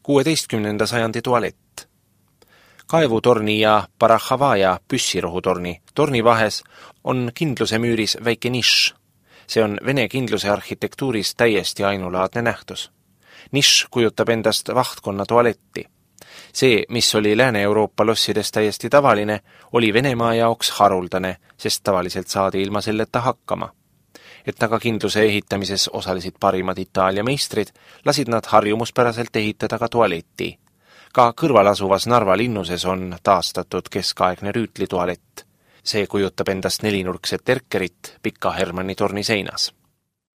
16. sajandi tualett. Kaevutorni ja Parachavaja püssirohutorni torni vahes on kindluse müüris väike nišš. See on Vene kindluse arhitektuuris täiesti ainulaadne nähtus. Nišš kujutab endast vahtkonna tualetti. See, mis oli Lääne-Euroopa lossides täiesti tavaline, oli Venemaa jaoks haruldane, sest tavaliselt saadi ilma selleta hakkama. Et aga kindluse ehitamises osalesid parimad Itaalia meistrid, lasid nad harjumuspäraselt ehitada ka tualetti. Ka kõrval asuvas Narva linnuses on taastatud keskaegne rüütlitualett. See kujutab endast nelinurkset erkerit Pika Hermanni torni seinas.